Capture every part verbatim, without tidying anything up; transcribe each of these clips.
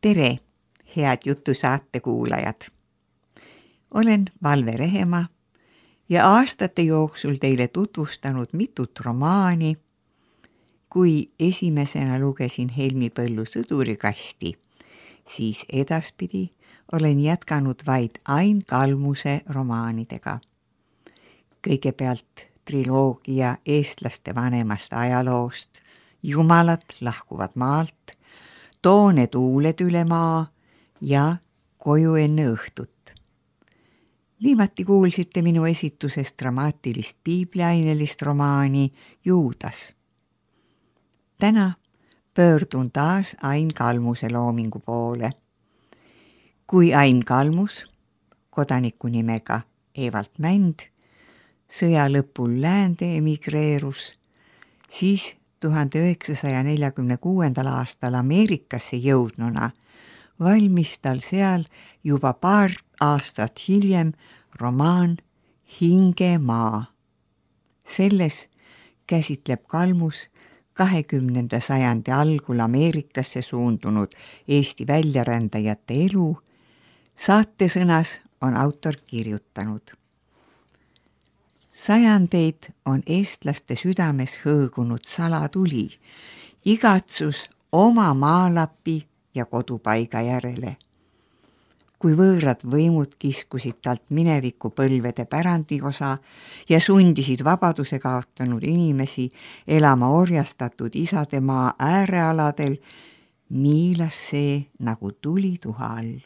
Tere, head jutusaate kuulajad! Olen Valve Rehemaa ja aastate jooksul teile tutvustanud mitut romaani. Kui esimesena lugesin Helmi Põllu Sõdurikasti, siis edaspidi olen jätkanud vaid Ain Kalmuse romaanidega. Kõigepealt triloogia eestlaste vanemast ajaloost, Jumalad lahkuvad maalt, Toone tuuled üle maa ja Koju enne õhtut. Viimati kuulsite minu esitusest dramaatilist piibliainelist romaani Juudas. Täna pöördun taas Ain Kalmuse loomingu poole. Kui Ain Kalmus, kodaniku nimega Evald Mänd, sõja lõpul läände emigreerus, siis tuhande üheksasaja neljakümne kuuendal aastal Ameerikasse jõudnuna valmis tal seal juba paar aastat hiljem romaan Hingemaa. Selles käsitleb Kalmus kahekümnenda sajandi algul Ameerikasse suundunud Eesti väljarändajate elu. Saatesõnas on autor kirjutanud. Sajandeid on eestlaste südames hõõgunud salatuli, igatsus oma maalapi ja kodupaiga järele. Kui võõrad võimud kiskusid talt mineviku põlvede pärandiosa ja sundisid vabaduse kaotanud inimesi elama orjastatud isademaa äärealadel, miilas see nagu tulituha all.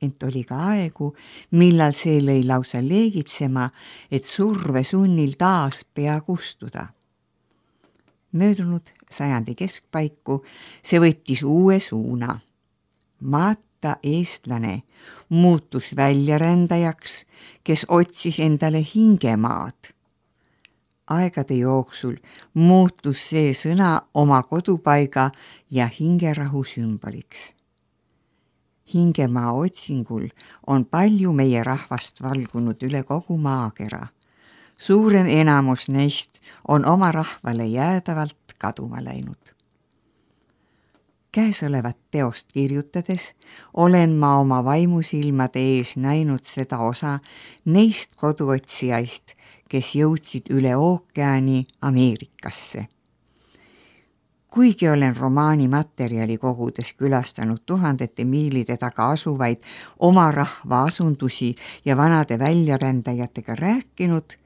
Ent oli ka aegu, millal see lõi lausa leegitsema, et surve sunnil taas pea kustuda. Möödunud sajandi keskpaiku see võttis uue suuna. Maata eestlane muutus väljarändajaks, kes otsis endale hingemaad. Aegade jooksul muutus see sõna oma kodupaiga ja hingerahu sümboliks. Hingemaa otsingul on palju meie rahvast valgunud üle kogu maakera. Suurem enamus neist on oma rahvale jäädavalt kaduma läinud. Käesolevat teost kirjutades olen ma oma vaimusilmade ees näinud seda osa neist koduotsijaist, kes jõudsid üle ookeani Ameerikasse. Kuigi olen romaani materjali kogudes külastanud tuhandete miilide taga asuvaid oma rahva asundusi ja vanade väljarändajatega rääkinud,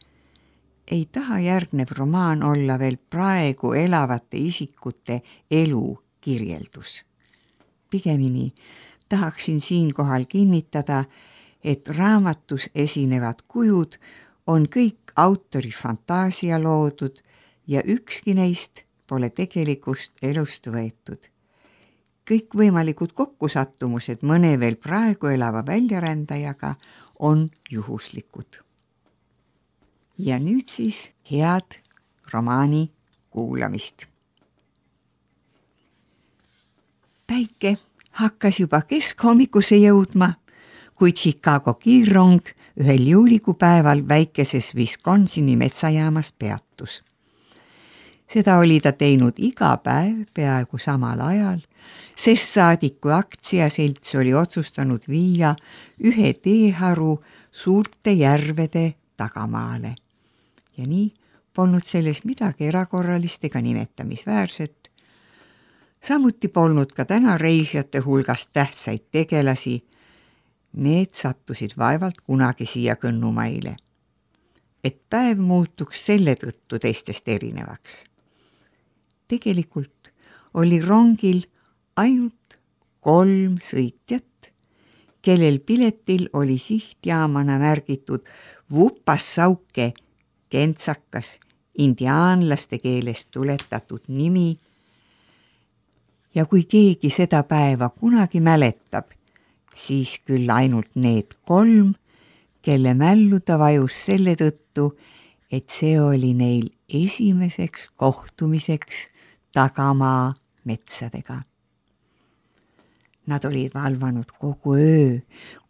ei taha järgnev romaan olla veel praegu elavate isikute elu kirjeldus. Pigemini tahaksin siinkohal kinnitada, et raamatus esinevad kujud on kõik autori fantaasia loodud ja ükski neist pole tegelikust elust võetud. Kõik võimalikud kokkusattumused mõne veel praegu elava väljarändajaga on juhuslikud. Ja nüüd siis head romaani kuulamist. Päike hakkas juba keskhommikusse jõudma, kui Chicago kiirrong ühel juulikupäeval väikeses Wisconsini metsajaamas peatus. Seda oli ta teinud iga päev peaaegu samal ajal, sest saadik kui aktsiaselts oli otsustanud viia ühe teeharu suurte järvede tagamaale. Ja nii polnud selles midagi erakorralist ega nimetamisväärset. Samuti polnud ka täna reisijate hulgast tähtsaid tegelasi. Need sattusid vaevalt kunagi siia kõnnumaile. Et päev muutuks selle tõttu teistest erinevaks. Tegelikult oli rongil ainult kolm sõitjat, kellel piletil oli sihtjaamana märgitud Vupassauke kentsakas indiaanlaste keelest tuletatud nimi. Ja kui keegi seda päeva kunagi mäletab, siis küll ainult need kolm, kelle mällu ta vajus selle tõttu, et see oli neil esimeseks kohtumiseks tagamaa metsadega. Nad olid valvanud kogu öö,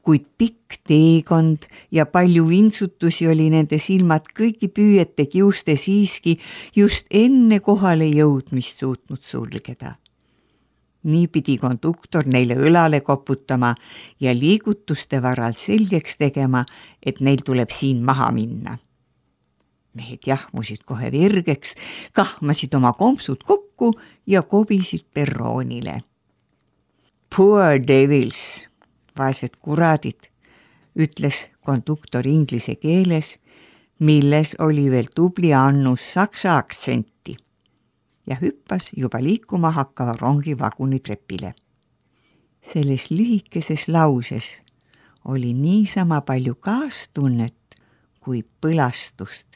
kuid pikk teekond ja palju vintsutusi oli nende silmad kõigi püüete kiuste siiski just enne kohale jõudmist suutnud sulgeda. Nii pidi konduktor neile õlale koputama ja liigutuste varal selgeks tegema, et neil tuleb siin maha minna. Mehed jahmusid kohe virgeks, kahmasid oma kompsud kokku ja kobisid perroonile. Poor devils, vaesed kuradid, ütles konduktor inglise keeles, milles oli veel tubli annus saksa aktsenti ja hüppas juba liikuma hakkava rongi vagunitrepile. Selles lühikeses lauses oli niisama palju kaastunnet kui põlastust,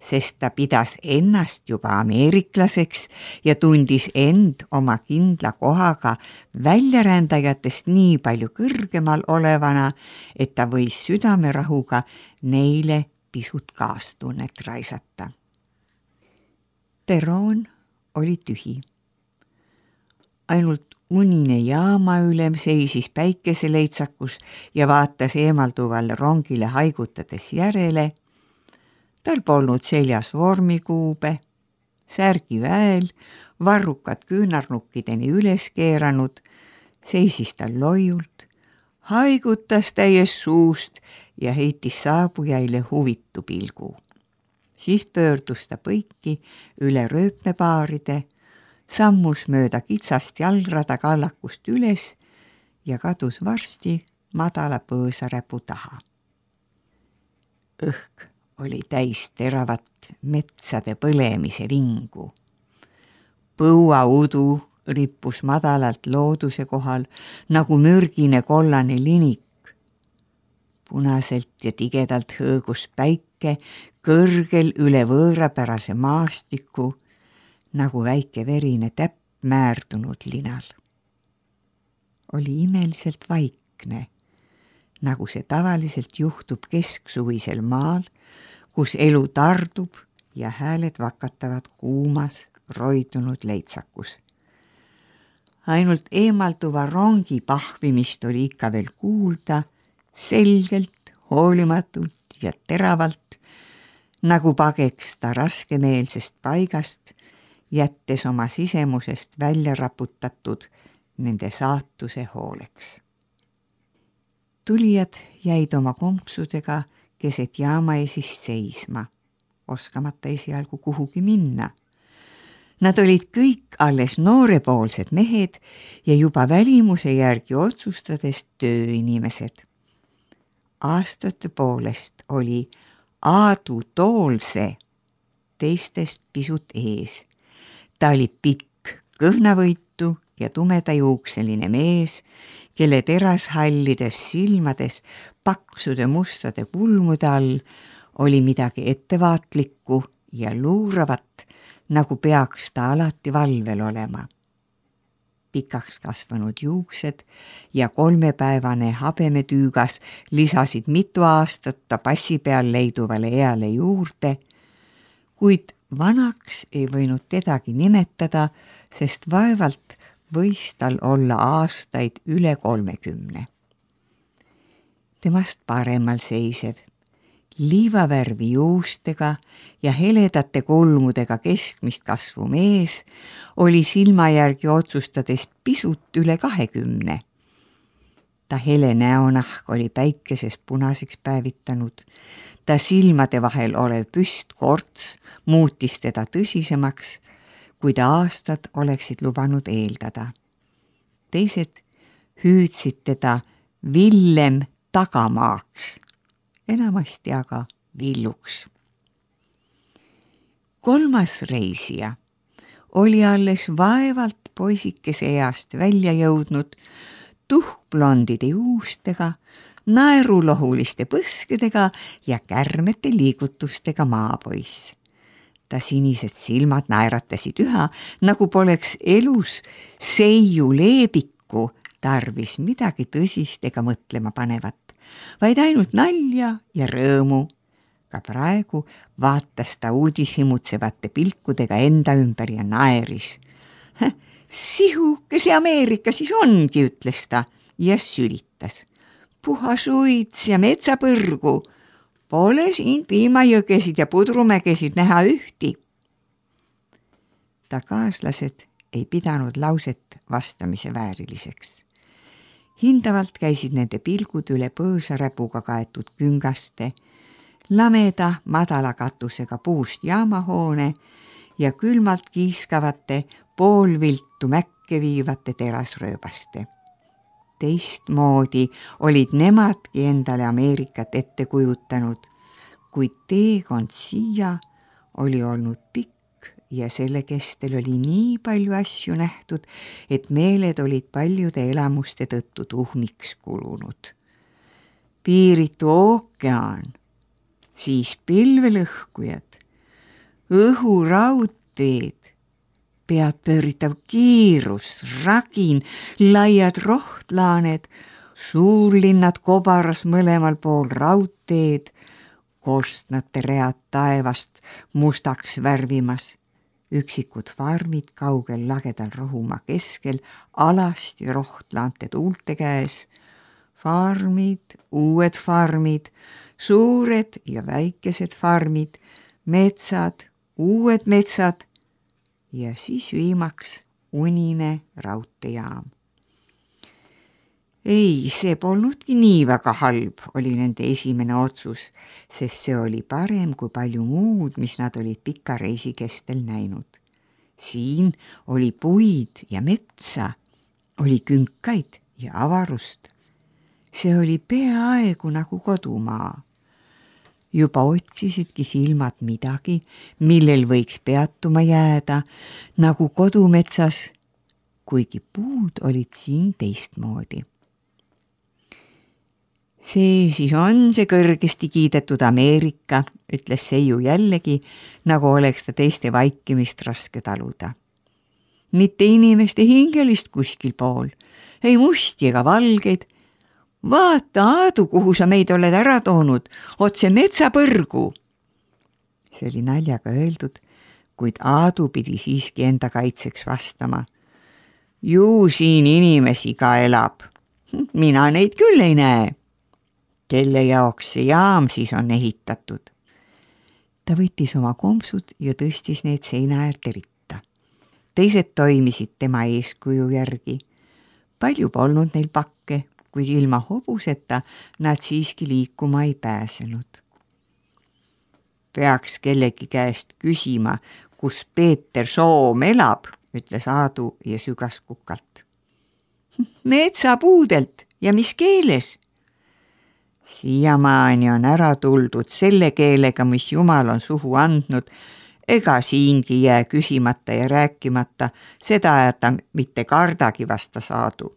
sest ta pidas ennast juba ameeriklaseks ja tundis end oma kindla kohaga väljarändajatest nii palju kõrgemal olevana, et ta võis südamerahuga neile pisut kaastunnet raisata. Perroon oli tühi. Ainult unine jaamaülem seisis päikeseleitsakus ja vaatas eemalduvalle rongile haigutades järele. Tal polnud seljas vormikuube, särgi väel, varrukad küünarnukkideni üles keeranud, seisis tal loiult, haigutas täies suust ja heitis saabujaile huvitu pilgu. Siis pöördus ta põiki üle rööpmepaaride, sammus mööda kitsast jalgrada kallakust üles ja kadus varsti madala põõsaräpu taha. Õhk oli täis teravat metsade põlemise vingu. Põuaudu rippus madalalt looduse kohal nagu mürgine kollane linik. Punaselt ja tigedalt hõõgus päike kõrgel üle võõrapärase maastiku, nagu väike verine täpp määrdunud linal. Oli imeliselt vaikne, nagu see tavaliselt juhtub kesksuvisel maal, kus elu tardub ja hääled vakatavad kuumas, roidunud leitsakus. Ainult eemalduva rongi pahvimist oli ikka veel kuulda, selgelt, hoolimatult ja teravalt, nagu pageks ta raskemeelsest paigast, jättes oma sisemusest välja raputatud nende saatuse hooleks. Tulijad jäid oma kompsudega keset jaamaesist seisma, oskamata esialgu kuhugi minna. Nad olid kõik alles noorepoolsed mehed ja juba välimuse järgi otsustades tööinimesed. Aastate poolest oli Aadu Toolse teistest pisut ees. Ta oli pikk, kõhnavõitu ja tumedajuukseline mees, kelle terashallides silmades paksude mustade kulmude all oli midagi ettevaatlikku ja luuravat, nagu peaks ta alati valvel olema. Pikaks kasvanud juuksed ja kolmepäevane habemetüügas lisasid mitu aastat ta passi peal leiduvale eale juurde, kuid vanaks ei võinud tedagi nimetada, sest vaevalt võis tal olla aastaid üle kolmekümne. Temast paremal seisev, liivavärvi juustega ja heledate kulmudega keskmist kasvu mees oli silma järgi otsustades pisut üle kahekümne. Ta hele näonahk oli päikeses punaseks päevitanud, ta silmade vahel olev püstkorts muutis teda tõsisemaks, kuid aastad oleksid lubanud eeldada. Teised hüüdsid teda Villem Tagamaaks, enamasti aga Villuks. Kolmas reisija oli alles vaevalt poisikese east välja jõudnud, tuhkblondide juustega, naerulohuliste põskedega ja kärmete liigutustega maapoiss. Ta sinised silmad naeratasid üha, nagu poleks elus seiu leebikku tarvis midagi tõsist ega mõtlema panevat, vaid ainult nalja ja rõõmu. Ka praegu vaatas ta uudishimutsevate pilkudega enda ümber ja naeris. Sihuke see Ameerika siis ongi, ütles ta ja sülitas. Puhas uits ja metsapõrgu. Pole siin piimajõgesid ja pudrumägesid näha ühti. Ta kaaslased ei pidanud lauset vastamise vääriliseks. Hindavalt käisid nende pilgud üle põõsaräpuga kaetud küngaste, lameda madala katusega puust jaamahoone ja külmalt kiiskavate poolviltu mäkke viivate terasrööbaste. Teistmoodi olid nemadki endale Ameerikat ette kujutanud, kuid teekond siia oli olnud pikk ja selle kestel oli nii palju asju nähtud, et meeled olid paljude elamuste tõttu tuhmiks kulunud. Piiritu ookean, siis pilvelõhkujad, õhuraudteed, pead pööritav kiirus, ragin, laiad rohtlaaned, suurlinnad kobaras mõlemal pool raudteed, korstnate read taevast mustaks värvimas, üksikud farmid kaugel lagedal rohumaa keskel, alasti rohtlaante tuulte käes, farmid, uued farmid, suured ja väikesed farmid, metsad, uued metsad ja siis viimaks unine raudteejaam. Ei, see polnudki nii väga halb, oli nende esimene otsus, sest see oli parem kui palju muud, mis nad olid pika reisi kestel näinud. Siin oli puid ja metsa, oli künkaid ja avarust. See oli peaaegu nagu kodumaa. Juba otsisidki silmad midagi, millel võiks peatuma jääda, nagu kodumetsas, kuigi puud olid siin teistmoodi. See siis on see kõrgesti kiidetud Ameerika, ütles Seiu jällegi, nagu oleks ta teiste vaikimist raske taluda. Mitte inimeste hingelist kuskil pool, ei musti ega valgeid. Vaata, Aadu, kuhu sa meid oled ära toonud, otse metsapõrgu. See oli naljaga öeldud, kuid Aadu pidi siiski enda kaitseks vastama. Ju siin inimesi ka elab. Mina neid küll ei näe. Kelle jaoks see jaam siis on ehitatud? Ta võttis oma kompsud ja tõstis neid seina äärde ritta. Teised toimisid tema eeskuju järgi. Palju polnud neil pakke, kuid ilma hobuseta nad siiski liikuma ei pääsenud. Peaks kellegi käest küsima, kus Peeter Soom elab, ütles Aadu ja sügas kukalt. Metsapuudelt ja mis keeles? Siiamaani on ära tuldud selle keelega, mis Jumal on suhu andnud, ega siingi jää küsimata ja rääkimata, seda ta mitte kardagi vastas Aadu.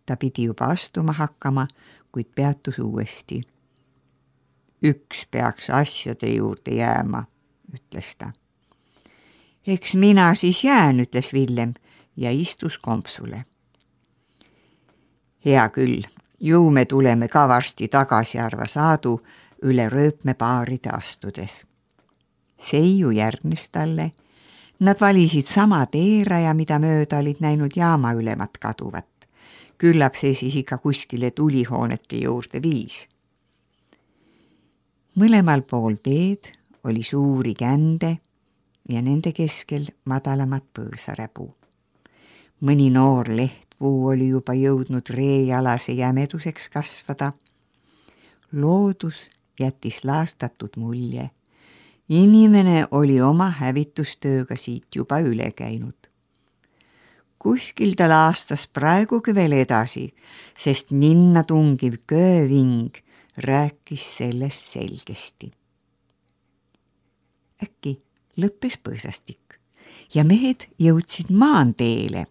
Ta pidi juba astuma hakkama, kuid peatus uuesti. Üks peaks asjade juurde jääma, ütles ta. Eks mina siis jään, ütles Villem ja istus kompsule. Hea küll, ju me tuleme ka varsti tagasi, arvas Aadu üle rööpmepaaride astudes. Seiu järgnes talle. Nad valisid sama teeraja, mida mööda olid näinud jaama ülemat kaduvat. Küllap see siis ikka kuskile tulihoonete juurde viis. Mõlemal pool teed oli suuri kände ja nende keskel madalamat põõsaräbu. Mõni noor lehtpuu oli juba jõudnud reejalase jämeduseks kasvada. Loodus jättis laastatud mulje. Inimene oli oma hävitustööga siit juba üle käinud. Kuskil ta laastas praegugi veel edasi, sest ninna tungiv kööving rääkis sellest selgesti. Äkki lõppes põõsastik ja mehed jõudsid maanteele.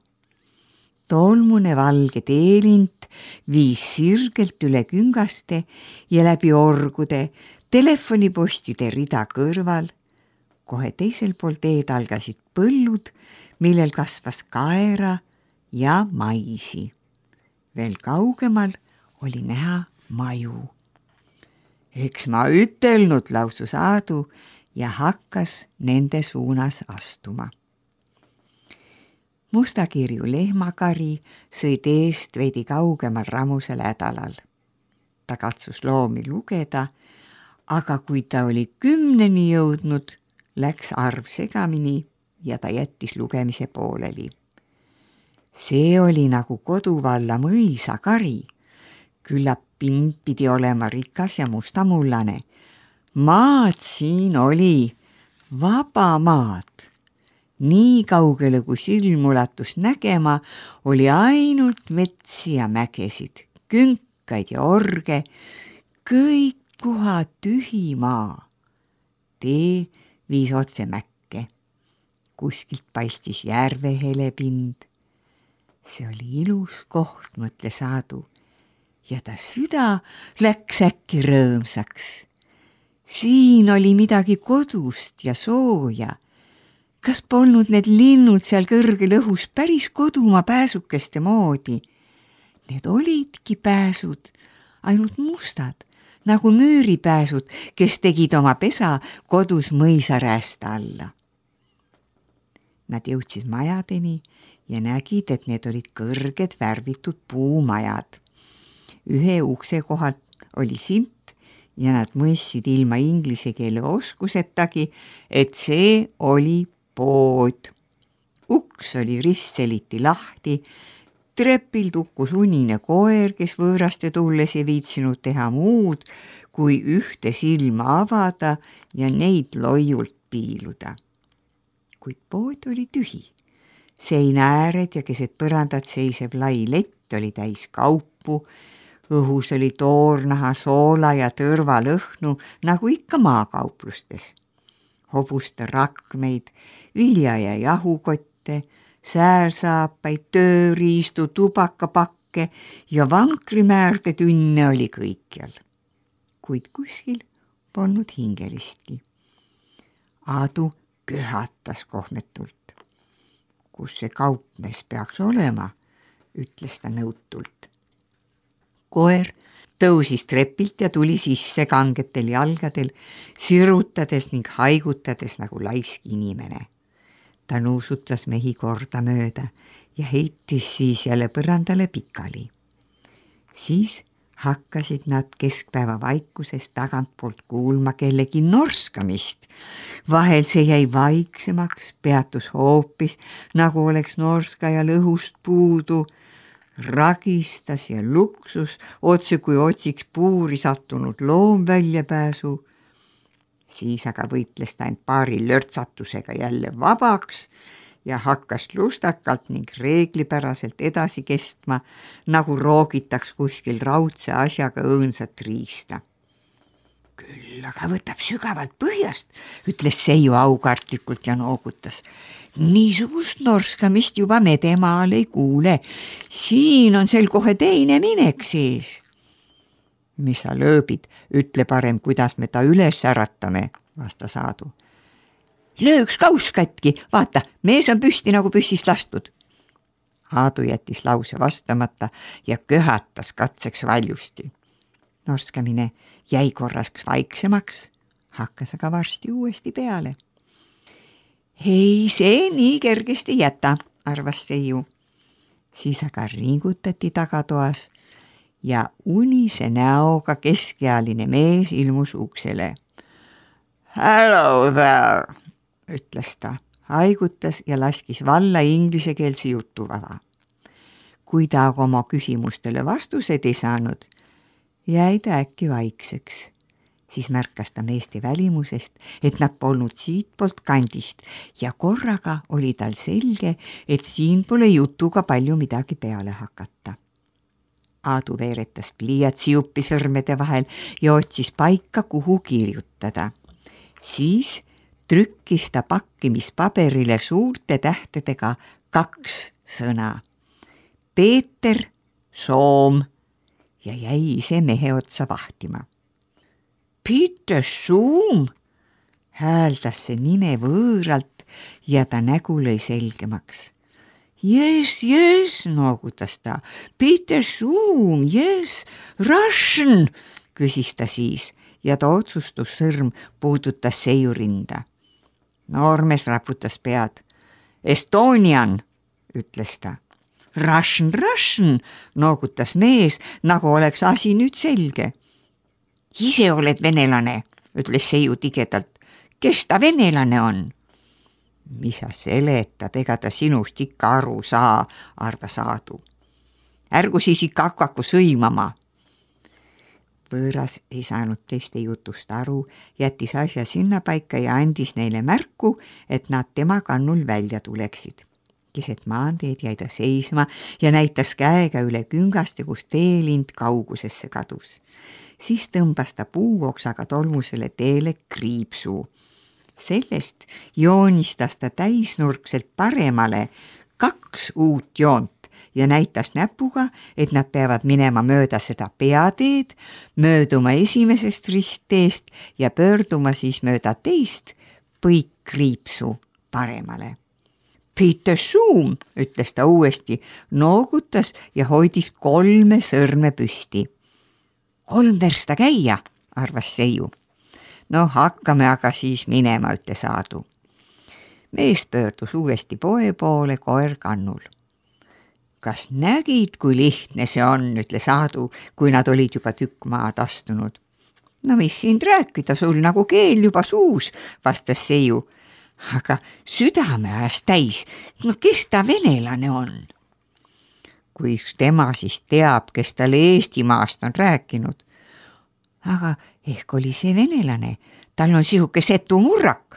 Tolmune valge teelint viis sirgelt üle küngaste ja läbi orgude, telefonipostide rida kõrval. Kohe teisel pool teed algasid põllud, millel kasvas kaera ja maisi. Veel kaugemal oli näha maju. Eks ma ütelnud, lausus Aadu ja hakkas nende suunas astuma. Mustakirju lehmakari sõi teest veidi kaugemal rammusel hädalal. Ta katsus loomi lugeda, aga kui ta oli kümneni jõudnud, läks arv segamini ja ta jättis lugemise pooleli. See oli nagu koduvalla mõisakari. Küllap pind pidi olema rikas ja mustamullane. Maad siin oli, vaba maad. Nii kaugele, kui silm ulatus nägema, oli ainult metsi ja mägesid, künkaid ja orge, kõik puha tühi maa. Tee viis otse mäkke. Kuskilt paistis järve helepind. See oli ilus koht, mõtles Aadu, ja ta süda läks äkki rõõmsaks. Siin oli midagi kodust ja sooja. Kas polnud need linnud seal kõrgel õhus päris kodumaa pääsukeste moodi? Need olidki pääsud, ainult mustad, nagu müüripääsud, kes tegid oma pesa kodus mõisaräästa alla. Nad jõudsid majadeni ja nägid, et need olid kõrged värvitud puumajad. Ühe ukse kohalt oli silt ja nad mõistsid ilma inglise keele oskusetagi, et see oli pood. Uks oli ristseliti lahti, trepil tukkus unine koer, kes võõraste tulles ei viitsinud teha muud, kui ühte silma avada ja neid loiult piiluda. Kuid pood oli tühi. Seina ääred ja keset põrandat seisev lai lett oli täis kaupu, õhus oli toornaha, soola ja tõrvalõhnu, nagu ikka maakauplustes. Hobuste rakmeid, vilja- ja jahukotte, säärsaapaid, tööriistu, tubakapakke ja vankrimäärde tünne oli kõikjal. Kuid kuskil polnud hingelistki. Aadu köhatas kohmetult. Kus see kaupmees peaks olema, ütles ta nõutult. Koer tõusis trepilt ja tuli sisse kangetel jalgadel, sirutades ning haigutades nagu laisk inimene. Ta nuusutas mehi korda mööda ja heitis siis jälle põrandale pikali. Siis hakkasid nad keskpäeva vaikusest tagantpoolt kuulma kellegi norskamist. Vahel see jäi vaiksemaks, peatus hoopis, nagu oleks norskajal õhust puudu. Ragistas ja luksus, otse kui otsiks puuri sattunud loom väljapääsu. Siis aga võitles ta end paari lörtsatusega jälle vabaks ja hakkas lustakalt ning reeglipäraselt edasi kestma, nagu roogitaks kuskil raudse asjaga õõnsat riista. Küll aga võtab sügavalt põhjast, ütles Seiu aukartlikult ja noogutas. Niisugust norskamist juba Medemaal ei kuule. Siin on sel kohe teine minek sees. Mis sa lööbid, ütle parem, kuidas me ta üles äratame, vastas Aadu. Lööks kauss katki, vaata, mees on püsti nagu püssist lastud. Aadu jättis lause vastamata ja köhatas katseks valjusti. Norskamine jäi korraks vaiksemaks, hakkas aga varsti uuesti peale. Hei, see nii kergesti jäta, arvas Seiu. Siis aga ringutati tagatoas ja unise näoga keskealine mees ilmus uksele. Hello there, ütles ta, haigutas ja laskis valla inglisekeelse jutuvava. Kui ta aga oma küsimustele vastused ei saanud, jäi ta äkki vaikseks. Siis märkas ta meeste välimusest, et nad polnud siitpoolt kandist ja korraga oli tal selge, et siin pole jutuga palju midagi peale hakata. Aadu veeretas pliiatsi juppi sõrmede vahel ja otsis paika, kuhu kirjutada. Siis trükkis ta pakkimispaberile suurte tähtedega kaks sõna. Peeter Soom ja jäi ise mehe otsa vahtima. Peter Soom, hääldas see nime võõralt ja ta nägu lõi selgemaks. Yes, yes, noogutas ta. Peter Soom, yes, Russian, küsis ta siis ja ta otsustussõrm puudutas Seiu rinda. Noormees raputas pead. Estonian, ütles ta. Russian, Russian, noogutas mees, nagu oleks asi nüüd selge. Ise oled venelane, ütles Seiu tigedalt. Kes ta venelane on? Mis sa seletad, ega ta sinust ikka aru saa, arvas Aadu. Ärgu siis ikka hakkaku sõimama. Võõras ei saanud teiste jutust aru, jättis asja sinnapaika ja andis neile märku, et nad tema kannul välja tuleksid. Keset maanteed jäi ta seisma ja näitas käega üle küngaste, kus teelind kaugusesse kadus. Siis tõmbas ta puuoksaga tolmusele teele kriipsu. Sellest joonistas ta täisnurkselt paremale kaks uut joont ja näitas näpuga, et nad peavad minema mööda seda peateed, mööduma esimesest ristteest ja pöörduma siis mööda teist põikkriipsu paremale. Peter Zoom, ütles ta uuesti, noogutas ja hoidis kolme sõrme püsti. Kolm versta käia, arvas Seiu. No hakkame aga siis minema, ütles Aadu. Mees pöördus uuesti poe poole koer kannul. Kas nägid, kui lihtne see on, ütles Aadu, kui nad olid juba tükk maad astunud. No mis siin rääkida, sul nagu keel juba suus, vastas Seiu. Aga südame ajas täis, no kes ta venelane on? Kui üks tema siis teab, kes talle Eestimaast on rääkinud. Aga ehk oli see venelane, tal on sihuke setumurrak.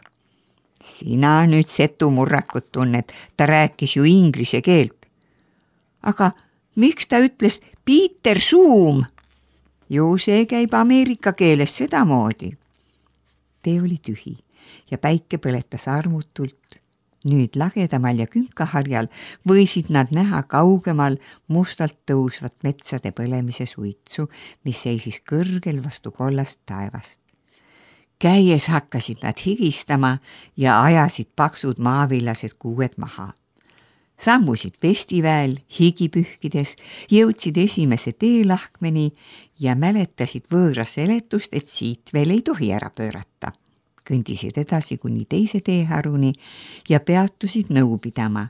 Sina nüüd setumurrakut tunned, ta rääkis ju inglise keelt. Aga miks ta ütles Peter Zoom? Ju see käib Ameerika keeles sedamoodi. Tee oli tühi ja päike põletas armutult. Nüüd lagedamal ja künkaharjal võisid nad näha kaugemal mustalt tõusvat metsade põlemise suitsu, mis seisis kõrgel vastu kollast taevast. Käies hakkasid nad higistama ja ajasid paksud maavillased kuued maha. Sammusid vestiväel higipühkides, jõudsid esimese teelahkmeni ja mäletasid võõra seletust, et siit veel ei tohi ära pöörata. Kõndisid edasi kuni teise teeharuni ja peatusid nõu pidama.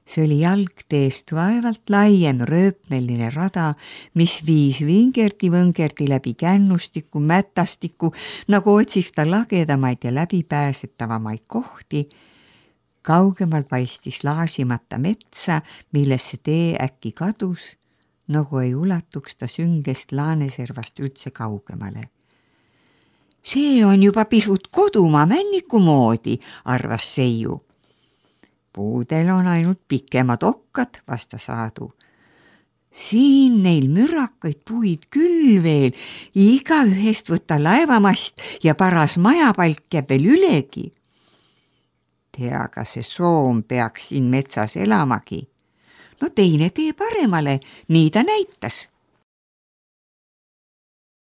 See oli jalgteest vaevalt laiem rööpmeline rada, mis viis vingerdi-võngerdi läbi kännustiku, mätastiku, nagu otsiks ta lagedamaid ja läbipääsetavamaid kohti. Kaugemal paistis laasimata metsa, millesse tee äkki kadus, nagu ei ulatuks ta süngest laaneservast üldse kaugemale. See on juba pisut kodumaa männiku moodi, arvas Seiu. Puudel on ainult pikemad okkad, vastas Aadu. Siin neil mürakaid puid küll veel, iga ühest võtta laevamast ja paras majapalk jääb veel ülegi. Tea, aga see soom peaks siin metsas elamagi. No teine tee paremale, nii ta näitas.